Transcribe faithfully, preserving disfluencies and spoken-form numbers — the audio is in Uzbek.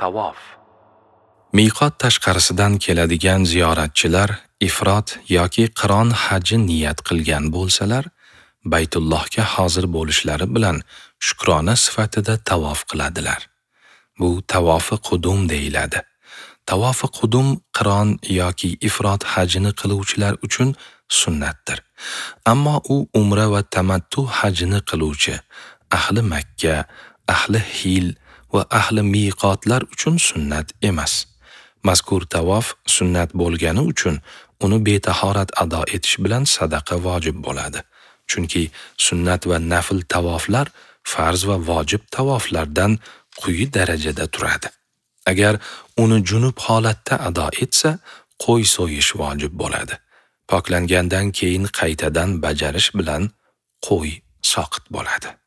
Tavof. Miqot tashqarisidan keladigan ziyoratchilar ifrot yoki qiron haji niyat qilgan bo'lsalar, Baytullohga hozir bo'lishlari bilan shukrona sifatida tavof qiladilar. Bu tavofi qudum deyiladi. Tavofi qudum qiron yoki ifrot hajini qiluvchilar uchun sunnatdir. Ammo u umra va tamattu hajini qiluvchi ahli Makka, ahli Hil va ahli miqotlar uchun sunnat emas. Mazkur tavof sunnat bo'lgani uchun uni betahorat ado etish bilan sadaqa vojib bo'ladi. Chunki sunnat va nafl tavoflar farz va vojib tavoflardan quyi darajada turadi. Agar uni junub holatda ado etsa, qo'y so'yish vojib bo'ladi. Poklangandan keyin qaytadan bajarish bilan qo'y soqit bo'ladi.